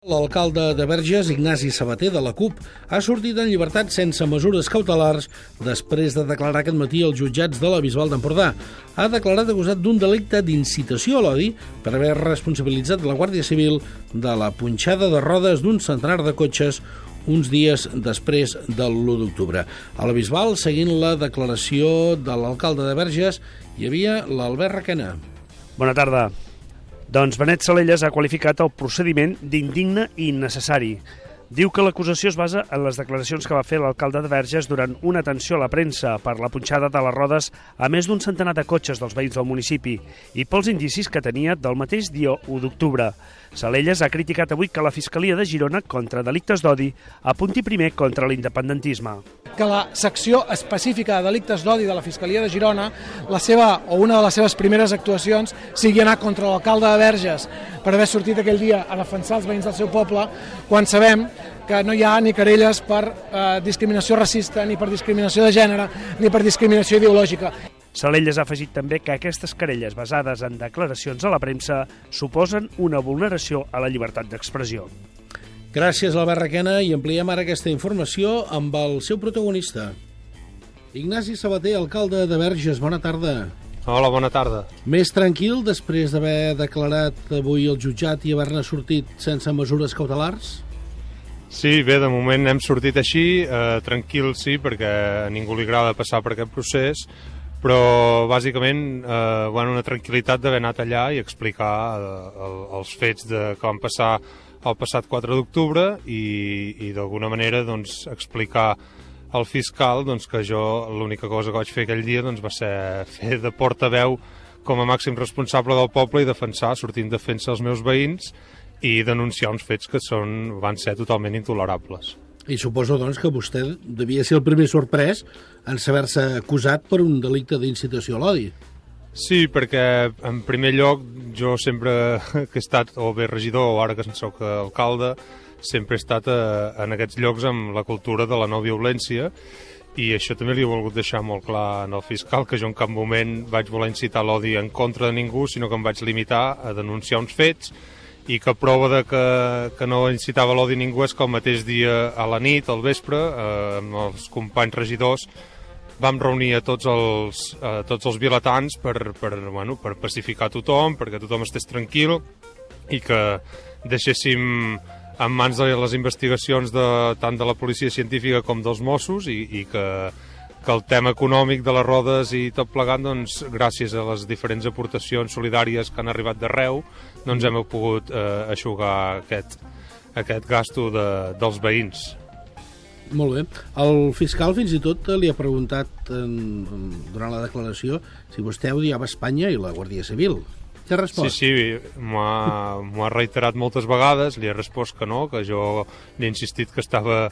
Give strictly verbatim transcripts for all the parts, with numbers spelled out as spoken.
L'alcalde de Verges, Ignasi Sabater, de la CUP, ha sortit en llibertat sense mesures cautelars després de declarar aquest matí als jutjats de la Bisbal d'Empordà. Ha declarat acusat d'un delicte d'incitació a l'odi per haver responsabilitzat la Guàrdia Civil de la punxada de rodes d'un centenar de cotxes uns dies després del l'u d'octubre. A la Bisbal, seguint la declaració de l'alcalde de Verges, hi havia l'Albert Requena. Bona tarda. Doncs Benet Salellas ha qualificat el procediment d'indigne i innecessari. Diu que l'acusació es basa en les declaracions que va fer l'alcalde de Verges durant una atenció a la premsa per la punxada de les rodes a més d'un centenar de cotxes dels veïns del municipi i pels indicis que tenia del mateix dia u d'octubre. Salellas ha criticat avui que la Fiscalia de Girona contra delictes d'odi apunti primer contra l'independentisme. Que la secció específica de delictes d'odi de la Fiscalia de Girona, la seva o una de les seves primeres actuacions sigui anar contra l'alcalde de Verges per haver sortit aquell dia a defensar els veïns del seu poble, quan sabem que no hi ha ni querelles per eh, discriminació racista, ni per discriminació de gènere, ni per discriminació ideològica. Salellas ha afegit també que aquestes querelles basades en declaracions a la premsa suposen una vulneració a la llibertat d'expressió. Gràcies, Albert Requena, i ampliem ara aquesta informació amb el seu protagonista. Ignasi Sabater, alcalde de Verges, bona tarda. Hola, bona tarda. Més tranquil després d'haver declarat avui el jutjat i haver-ne sortit sense mesures cautelars? Sí, bé, de moment hem sortit així, eh, tranquil sí, perquè a ningú li agrada passar per aquest procés, però bàsicament eh, bueno, una tranquil·litat d'haver anat allà i explicar eh, els fets de, que van passar el passat quatre d'octubre i, i d'alguna manera doncs, explicar al fiscal doncs, que jo l'única cosa que vaig fer aquell dia doncs, va ser fer de portaveu com a màxim responsable del poble i defensar, sortint en defensa dels meus veïns i denunciar uns fets que són, van ser totalment intolerables. I suposo, doncs, que vostè devia ser el primer sorprès en saber-se acusat per un delicte d'incitació a l'odi. Sí, perquè en primer lloc jo sempre que he estat o bé regidor o ara que soc alcalde sempre he estat a, en aquests llocs amb la cultura de la no violència i això també li he volgut deixar molt clar al fiscal, que jo en cap moment vaig voler incitar l'odi en contra de ningú, sinó que em vaig limitar a denunciar uns fets i que prova de que, que no incitava l'odi a ningú és que el mateix dia a la nit, al vespre, eh, amb els companys regidors vam reunir a tots els, a tots els vilatans per, per, bueno, per pacificar tothom, perquè tothom estés tranquil i que deixéssim en mans de les investigacions de, tant de la policia científica com dels Mossos i, i que, que el tema econòmic de les rodes i tot plegat, doncs, gràcies a les diferents aportacions solidàries que han arribat d'arreu, doncs hem pogut eh, aixugar aquest, aquest gasto de, dels veïns. Molt bé. El fiscal fins i tot li ha preguntat en, durant la declaració si vostè odiava Espanya i la Guàrdia Civil. Què ha respost? Sí, sí, m'ho ha, m'ho ha reiterat moltes vegades, li he respost que no, que jo li he insistit que estava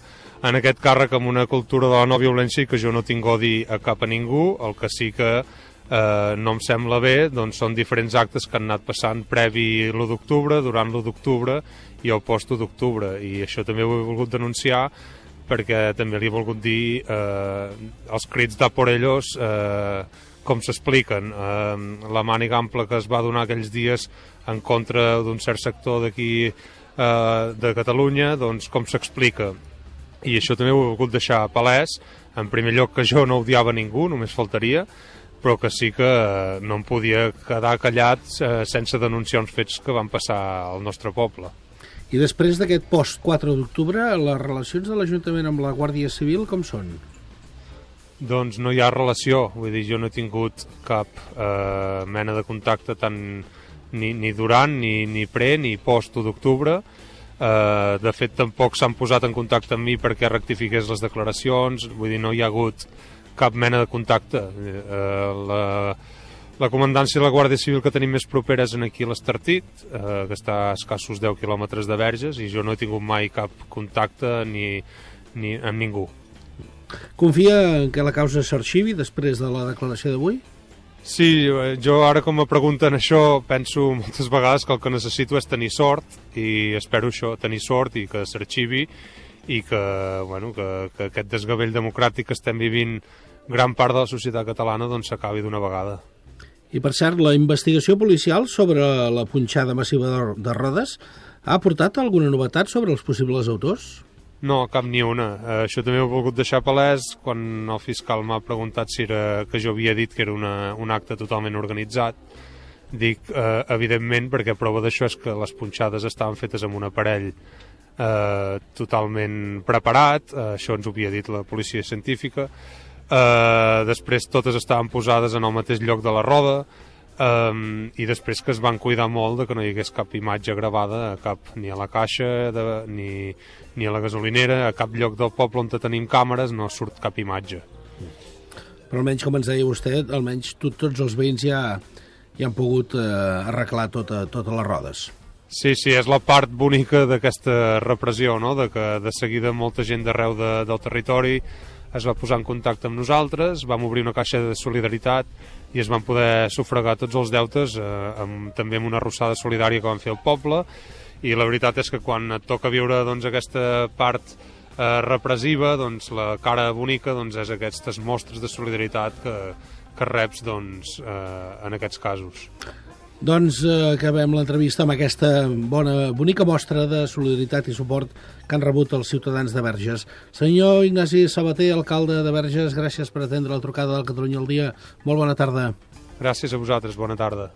en aquest càrrec amb una cultura de la no violència i que jo no tinc odi a cap a ningú. El que sí que eh, no em sembla bé doncs són diferents actes que han anat passant previ l'u d'octubre, durant l'u d'octubre i el post-u d'octubre, i això també ho he volgut denunciar perquè també li he volgut dir eh, els crits de por ellos eh, com s'expliquen. Eh, la màniga ampla que es va donar aquells dies en contra d'un cert sector d'aquí eh, de Catalunya, doncs com s'explica. I això també ho he volgut deixar palès, en primer lloc que jo no odiava ningú, només faltaria, però que sí que eh, no em podia quedar callat eh, sense denunciar uns fets que van passar al nostre poble. I després d'aquest post quatre d'octubre, les relacions de l'Ajuntament amb la Guàrdia Civil com són? Doncs no hi ha relació, vull dir, jo no he tingut cap eh, mena de contacte tant ni, ni durant, ni, ni pre, ni post-u d'octubre. Eh, de fet, tampoc s'han posat en contacte amb mi perquè rectifiqués les declaracions, vull dir, no hi ha hagut cap mena de contacte. Eh, la... La comandància de la Guàrdia Civil que tenim més propera és aquí a l'Estartit, eh, que està a escassos deu quilòmetres de Verges, i jo no he tingut mai cap contacte ni, ni amb ningú. Confia en que la causa s'arxivi després de la declaració d'avui? Sí, jo ara com me pregunten això penso moltes vegades que el que necessito és tenir sort, i espero això, tenir sort i que s'arxivi i que, bueno, que, que aquest desgavell democràtic que estem vivint gran part de la societat catalana doncs s'acabi d'una vegada. I, per cert, la investigació policial sobre la punxada massiva de rodes Ha aportat alguna novetat sobre els possibles autors? No, cap ni una. Uh, això també ho he volgut deixar palès quan el fiscal m'ha preguntat si era que jo havia dit que era una, un acte totalment organitzat. Dic, uh, evidentment, perquè prova d'això és que les punxades estaven fetes amb un aparell uh, totalment preparat, uh, això ens ho havia dit la policia científica. Uh, després totes estaven posades en el mateix lloc de la roda, Um, i després que es van cuidar molt de que no hi hagués cap imatge gravada a cap, ni a la caixa de, ni, ni a la gasolinera, a cap lloc del poble on tenim càmeres no surt cap imatge. Però almenys, com ens deia vostè, almenys tot, tots els veïns ja, ja han pogut eh, arreglar tota, totes les rodes. Sí, sí, és la part bonica d'aquesta repressió, no? De que de seguida molta gent d'arreu de, del territori es va posar en contacte amb nosaltres, vam obrir una caixa de solidaritat i es van poder sufragar tots els deutes, eh, amb, també amb una arrossada solidària que van fer al poble, i la veritat és que quan et toca viure doncs, aquesta part eh, repressiva, doncs, la cara bonica doncs, és aquestes mostres de solidaritat que, que reps doncs, eh, en aquests casos. Doncs eh, acabem l'entrevista amb aquesta bona, bonica mostra de solidaritat i suport que han rebut els ciutadans de Verges. Senyor Ignasi Sabater, alcalde de Verges, gràcies per atendre la trucada del Catalunya al Dia. Molt bona tarda. Gràcies a vosaltres, bona tarda.